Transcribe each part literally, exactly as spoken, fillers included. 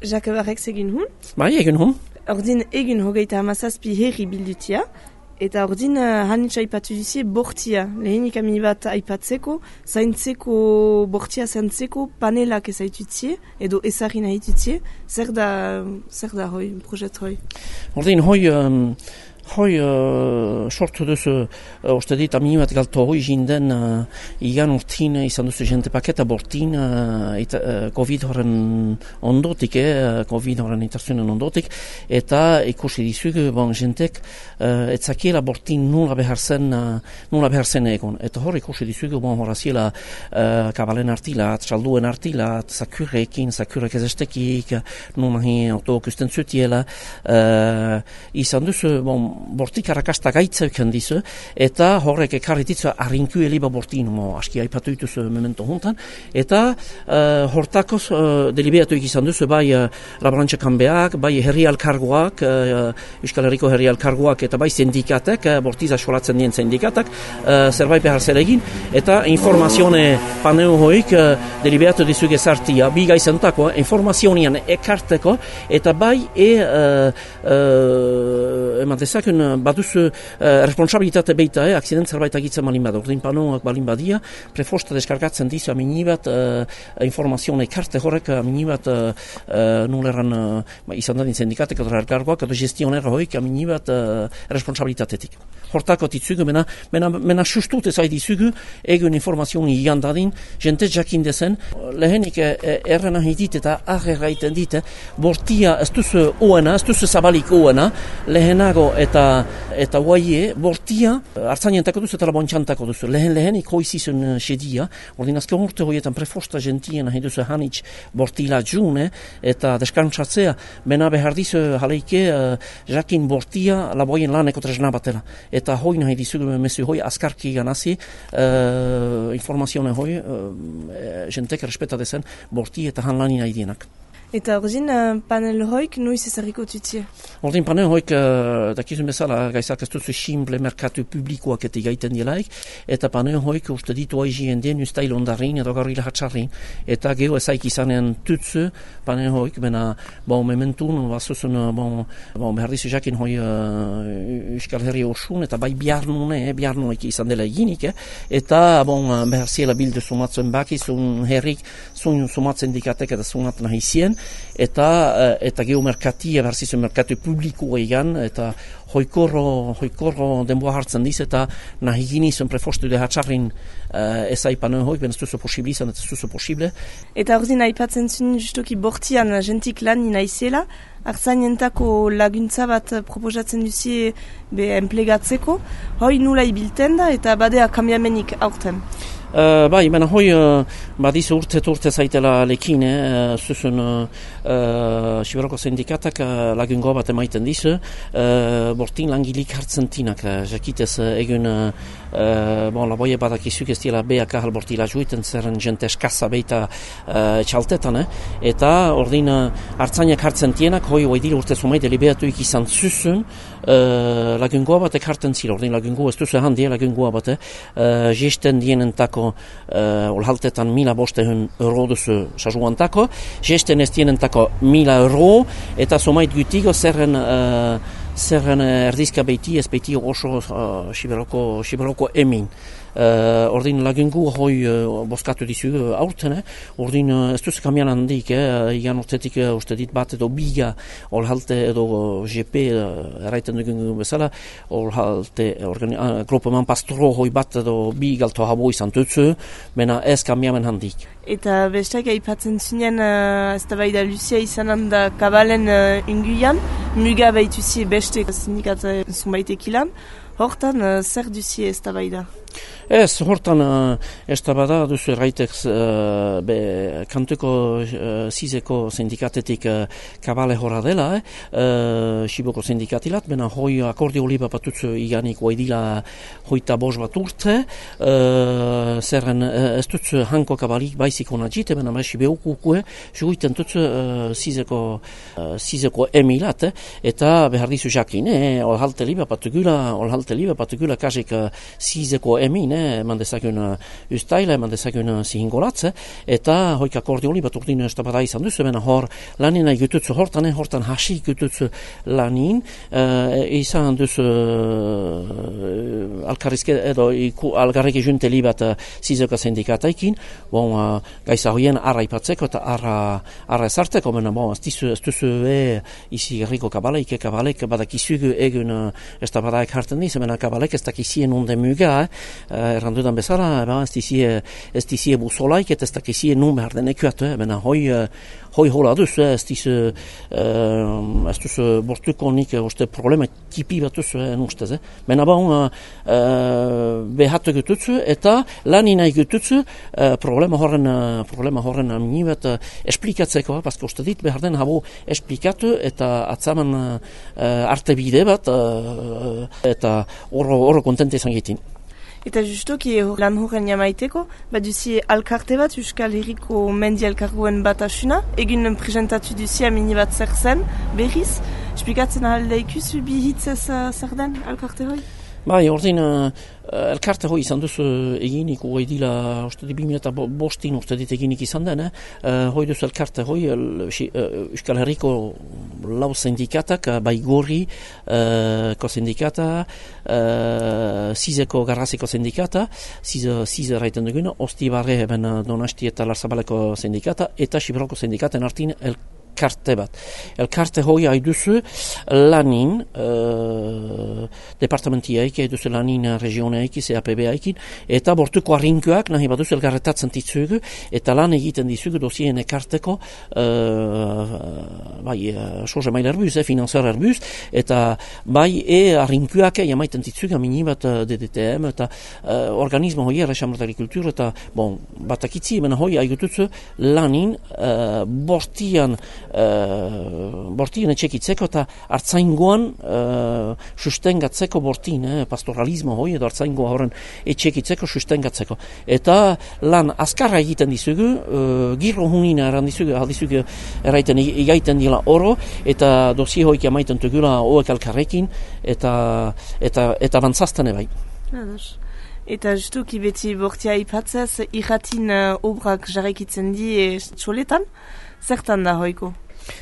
Jacques Barrex egin hun. Bai, egin hun. Ordin egin hogeita hamazazpi herri bildutia. Eta ordin uh, hanitz aipatu duzie bortia. Lehenik amini bat aipatzeko, zaintzeko, bortia zaintzeko panelak ezaitutzie, edo ezagin haitutzie. Zer da, zer da hoi, projet hoi? Ordin hoi... Um... Hoi, uh, sortu duzu, uh, uste dit, amini bat galto hoi jinden uh, igan urtin izan duzu jente paketa bortin uh, eta, uh, COVID horren ondotik, eh, COVID horren interzunen ondotik, eta ikusi dizugu, bon, jentek, uh, etzakiela bortin nula behar zen, uh, nula behar zen egon. Eta hor ikusi dizugu, bon, horaziela uh, kabalen artilat, txalduen artilat, zakurrekin, zakurrek ezestekik, nula hi autokusten zutiela, uh, izan duzu, bon, bortik arrakasta gaitzeuken dizu, eta horrek ekarri ditzu arrinku eliba bortin, mo, aski aipatu dituzu memento juntan, eta uh, hortakoz uh, deliberatu izan duzu, bai uh, laborantza kanbeak, bai herri alkargoak, uh, Euskal Herriko herri alkargoak, eta bai sindikatek, uh, bortiza solatzen dien sindikatak, uh, zerbait behar zer egin, eta informazione paneo hoik uh, deliberatu dizu gezartia, bi gaizentako, informazionian ekarteko, eta bai e uh, uh, eman dezak, baduzu uh, responsabilitate beita, eh, akzident zerbait agitzen balin bada, ordin panoak balin badia, prefosta deskargatzen dizu amini bat uh, informazioa ekarte horrek amini bat uh, uh, nuleran uh, izan dadin sindikatek edo erkargoak edo gestionera hoik amini bat uh, responsabilitatetik. Hortako ditzugu, mena, mena, mena sustut ezai dizugu, egun informazioa igan dadin, jente jakin dezen, lehenik eh, errena hitit eta aherra iten dite, bortia ez duzu oena, ez duzu zabalik oena, lehenago eta eta guaie, bortia, hartzainentako duzu eta labontxantako duzu. Lehen lehen ikoizizun sedia, ordin azken urte horietan prefosta gentien nahi duzu hanitz bortila june, eta deskantzatzea, bena behar dizu jaleike, uh, jakin bortia laboien laneko tresna batela. Eta hoi nahi dizu mesu hoi askarki ganazi, uh, informazione hoi, uh, jentek respeta dezen borti eta han lani nahi dienak. Eta ordin uh, panel hoik nuiz ezarriko tutzie? Ordin panel hoik, uh, dakizun bezala, gaizak ez duzu simple merkatu publikoak eta gaiten dielaik, eta panel hoik uste ditu aizien den ustail ondarrin edo garrila hatxarrin, eta geho ezaik izanen tutzu panel hoik, bena, bon, mementun, bazuzun, bon, bon, behar dizu jakin hoi uh, Euskal Herri osun, eta bai biarnune, eh, biarnunek izan dela eginik, eh, eta, bon, behar ziela bildu sumatzen baki, zun herrik, zun sumatzen dikatek eta sunat nahi zien, eta eta geomerkatia berzizun merkatu publikoa egan, eta hoikorro, hoikorro denboa hartzen diz, eta nahi ginizun prefostu de hatxarrin uh, ez aipan hoik, ben ez duzu posible izan, ez duzu posible. Eta ordin aipatzen zuen justoki bortian jentik lan inaizela, hartzainentako laguntza bat proposatzen duzie be enplegatzeko, hoi nula ibilten da eta badea kambiamenik aurten. Uh, bai, mena hoi uh, badizu urte urte zaitela lekin, eh, zuzun uh, uh, Siberoko sindikatak uh, lagungo bat emaiten dizu, uh, bortin langilik hartzen tinak, uh, jakitez uh, egun uh, uh, bon, laboie badak izuk ez dira beak ahal bortila juiten zerren jente eskasa beita uh, txaltetan, eh? Eta ordin uh, hartzainak hartzen tienak, hoi hoi dira urte zumai deliberatuik izan zuzun, uh, lagungo batek hartzen zira, ordin lagungo ez duzu handi lagungo bat, eh? uh, gesten dienentako Uh, olhaltetan mila bostehun euro duzu sajuantako, gesten ez dienentako mila euro, eta somait gutigo zerren uh, zerren erdizka beiti, ez beiti oso uh, Siberoko, Siberoko emin. Uh, ordin lagungu hoi uh, boskatu dizu uh, aurten, eh? Ordin uh, ez duzu kamian handik, eh? Igan urtetik uh, uste dit bat edo biga olhalte edo uh, G P uh, erraiten dugun bezala, olhalte uh, gropeman pastoro hoi bat edo bi galto habo izan tutzu, mena ez kamiamen handik. Eta bestak aipatzen zinen uh, ez da bai da Lucia izanan da kabalen uh, inguian, muga baituzie beste sindikat zunbaitekilan, hortan uh, zer duzie ez da bai da? Ez, hortan uh, ez da bada duzu erraitek uh, be, kantuko uh, zizeko sindikatetik uh, kabale horra dela, eh? uh, Siboko sindikatilat, bena hoi akordio liba batutzu iganik oidila hoita bos bat urte, uh, zerren uh, ez dutzu hanko kabalik baizik hona jite, bena maisi beukukue, juguiten dutzu uh, zizeko, uh, zizeko emilat, eh? Eta behar dizu jakin, eh? olhalte liba patugula, olhalte liba patugula kasik uh, zizeko emin, eh, eman dezagun ustaila, eman dezagun zihingolatze, eta hoik akordioli bat urdin estabada izan duzu, bena hor lanin egitutzu hortan, hortan hasi egitutzu lanin, uh, izan duzu uh, alkarrizke, edo iku, algarrek ejunteli bat uh, zizeka sindikataikin, bon, uh, gaiza hoien arra ipatzeko eta arra, arra ezarteko, bena, bon, ez dizu, ez duzu e, izi gerriko kabaleik, e kabalek, badakizugu egun uh, estabadaik hartan diz, bena kabalek ez dakizien unde muga, eh, uh, errandudan bezala, ba, ez dizie, ez dizie busolaik, eta ez dakizien nun behar den ekuatu, eh, bena hoi, uh, hoi hola duzu, ez dizu, uh, ez duzu bortuko nik, oste problema tipi bat duzu, eh, nustez, eh. Bena bon, uh, uh, behatu gututzu, eta lanin nahi gututzu, uh, problema horren, uh, problema horren amini bat uh, esplikatzeko, paske uste dit behar den habo esplikatu, eta atzaman uh, arte bide bat, uh, eta oro, oro kontente izan gitin. Eta justuki lan horren jamaiteko, bat duzi alkarte bat, Euskal Herriko mendi elkargoen bat asuna, egin presentatu duzi amini bat zer zen, berriz, esplikatzen alde ikusu bi hitzez uh, zer den alkarte hoi? Bai, ordin, uh, elkarte hoi izan duzu eginik, hoi dila, uste di bimila eta bostin uste dit eginik izan den, eh? uh, hoi duzu elkarte hoi, uh, Euskal Herriko lau sindikatak, uh, bai gorri, uh, ko sindikata, uh, zizeko garraziko sindikata, zize, zize raiten duguna, osti barre eben Donasti eta Larzabaleko sindikata, eta Siberoko sindikaten artin elkarte elkarte bat. Elkarte hoi haiduzu lanin uh, departamentiaik, haiduzu lanin regioneaik, C A P B-aikin, eta bortuko arrinkoak nahi baduzu elgarretatzen ditzugu, eta lan egiten dizugu dosien ekarteko uh, bai, uh, soze mail erbuz, eh, finanziar erbuz, eta bai e arrinkoak jamaiten ditzugu amini bat uh, D D T M, eta uh, organismo hoi erresamart agrikultur, eta bon, batakitzi, hemen hoi haigutuzu lanin uh, bortian Uh, bortien etxekitzeko eta hartzaingoan uh, sustengatzeko bortin, eh, pastoralismo hoi edo hartzaingoa horren etxekitzeko sustengatzeko. Eta lan azkarra egiten dizugu, uh, girro hunina eran dizugu, aldizugu eraiten igaiten dila oro, eta dosi hoik amaiten tugula hoek alkarrekin, eta, eta, eta bantzaztane bai. Ados. Eta justuki beti bortia ipatzez, irratin uh, obrak jarraikitzen di e, txoletan, zertan da hoiko?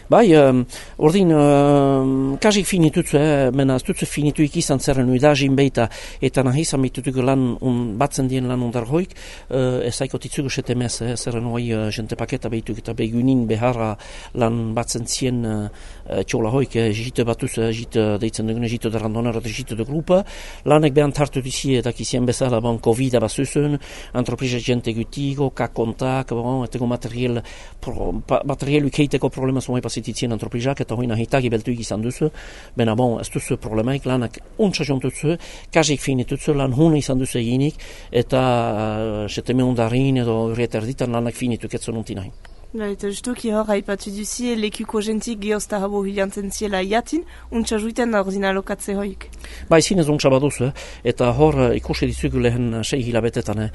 Bai, um, ordin, um, kasik finitutzu, eh, mena ez dutzu finituik izan zerren udazin beita, eta nahi izan behitutuko lan un, batzen dien lan ondar hoik, uh, ez aiko titzugu setemez, eh, zerren hoi uh, jente paketa behituk eta begunin beharra lan batzen zien uh, txola hoik, eh, jite batuz, eh, jite deitzen dugune, jite de randonar eta jite de grupa, lanek behan tartu dizi eta kizien bezala, bon, COVID abazuzun, antropriza jente gutigo, kakontak, bon, etego materiel, pro, pa, materiel ukeiteko problema zumai pasititzien antroprizak, eta hoina hitagi beltuik izan duzu, bena bon, ez duzu problemaik, lanak untsa jontutzu, kasik finitutzu, lan hune izan duzu eginik, eta uh, seteme undarin edo urrieta erditan lanak finituk etzon unti nahi. Da, eta justuki hor, haipatu duzi, lekuko jentik geozta habo hilantzen ziela iatin, untsa juiten da ordina lokatze hoik. Ba, zinez untsa baduzu, eta hor ikusi dizugu lehen sei hilabetetan, eh,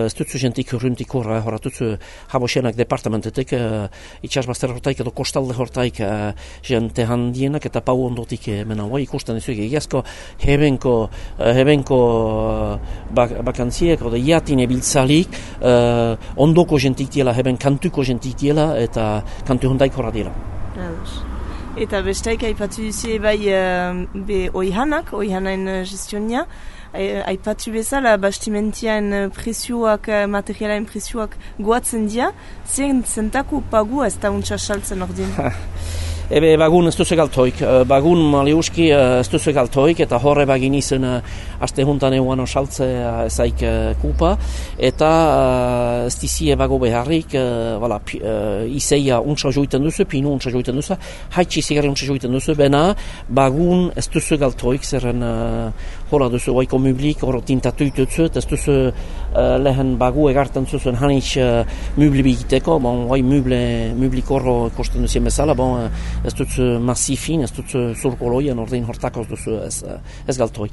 ez dutzu jentik urruntik horra, hor atutzu habosenak departamentetek, uh, itxasbazter hortaik edo kostalde hortaik uh, jente handienak eta pau ondotik uh, mena hoi ikusten dizugu. Egiazko hebenko, uh, hebenko uh, bak bakantziek, oda iatin ebiltzalik, uh, ondoko jentik diela, heben kantuko jentik diela, eta kantu hondaik horra diela. Ados. Eta bestaik aipatu duzie bai uh, be oihanak, oihanain uh, gestionia, aipatu bezala bastimentiaen presioak, materialaen presioak goatzen dia, zen zentako pagu ez da untsa saltzen ordin? Ebe bagun ez duzu galtoik, bagun maliuski ez duzu galtoik, eta horre bagin izan aste juntan eguan osaltze ezaik kupa, eta ez dizie bago beharrik, wala, izeia untsa joiten duzu, pinu untsa joiten duzu, haitsi zigari untsa joiten duzu, bena bagun ez duzu galtoik, zerren hola duzu oiko mublik, hor tintatu ituzu, ez duzu lehen bagu egartan zuzuen hanitz mubli bigiteko, bon, oi mublik horro kosten duzien bezala, bon, ez dut massifin, ez dut zurkoloian ordein hortakoz duzu ez, ez galtoi.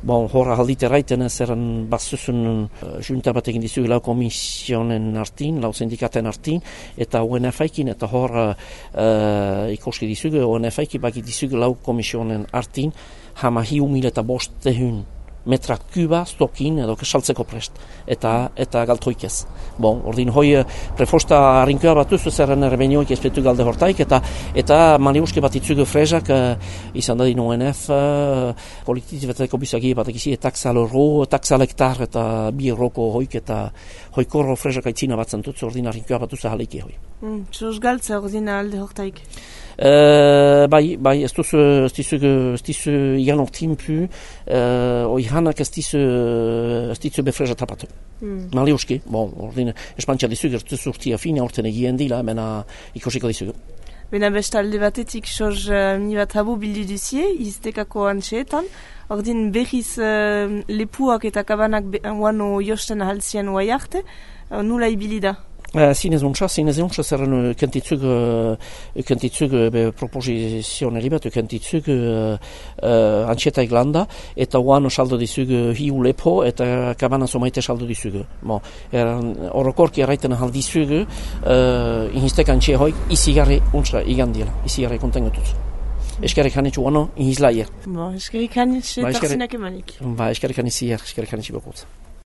Bon, horra haldite raiten zerren bazuzun uh, junta bat egin dizugu lau komisionen artin, lau sindikaten artin, eta O N F-aikin, eta horra uh, ikoski dizugu, O N F-aikin baki dizugu lau komisionen artin, hama hiu mil eta bost tehun metra kuba stokin edo saltzeko prest, eta eta galtoik ez. Bon, ordin hoi prefosta harinkoa batuz, zerren erbenioik espetu galde hortaik, eta eta maniuske bat itzugu frezak, uh, izan da din O N F, uh, kolektizibateko bizagi bat egizi, taksal ro, taksal hektar, eta bi roko hoik, eta hoikorro frezak aitzina batzen dut, ordin harinkoa batuz ahaleiki hoi. Mm, Txos galtza ordin alde hortaik? Uh, bai, bai, ez duzu, ez duzu, ez duzu igan ortin pu, uh, oi hanak ez duzu, ez duzu befreza tapatu. Mm. Maliuski, bon, ordin, espantxa dizugu, ez duzu urtia fina orten egien dila, mena ikosiko dizugu. Bena bestalde batetik, soz uh, mi bat habu bildu duzie, iztekako antxeetan, ordin behiz uh, lepuak eta kabanak wano josten ahalzien oai arte, uh, nula ibili da? Uh, zinez untsa, zinez untsa zerren kentitzug, uh, kentitzug be proposizioneri bat, kentitzug uh, uh, antxeta eglanda, eta oan saldo dizug hiu lepo, eta kabana somaite saldo dizug. Bon, orokorki erraiten ahal dizug, uh, inhistek antxe hoik, izigarri untsa igandiela, izigarri kontengotuz. Eskerrik hanitzu wano, inhizlaier. Bon, eskerrik hanitzu, tarzinak emanik. Ba, eskerrik hanitzier, eskerrik hanitzi bokut.